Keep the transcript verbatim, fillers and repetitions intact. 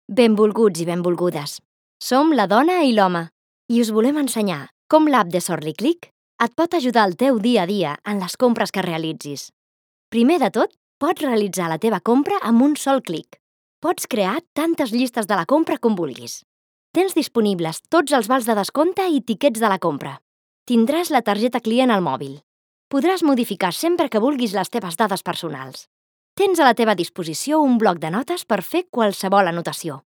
Benvolguts i benvolgudes. Som la dona i l'home i us volem ensenyar com l'app de SortlyClick et pot ajudar al teu dia a dia en les compres que realitzis. Primer de tot, pots realitzar la teva compra amb un sol clic. Pots crear tantes llistes de la compra com vulguis. Tens disponibles tots els vals de descompte i tiquets de la compra. Tindràs la targeta client al mòbil. Podràs modificar sempre que vulguis les teves dades personals. Tens a la teva disposició un bloc de notes per fer qualsevol anotació.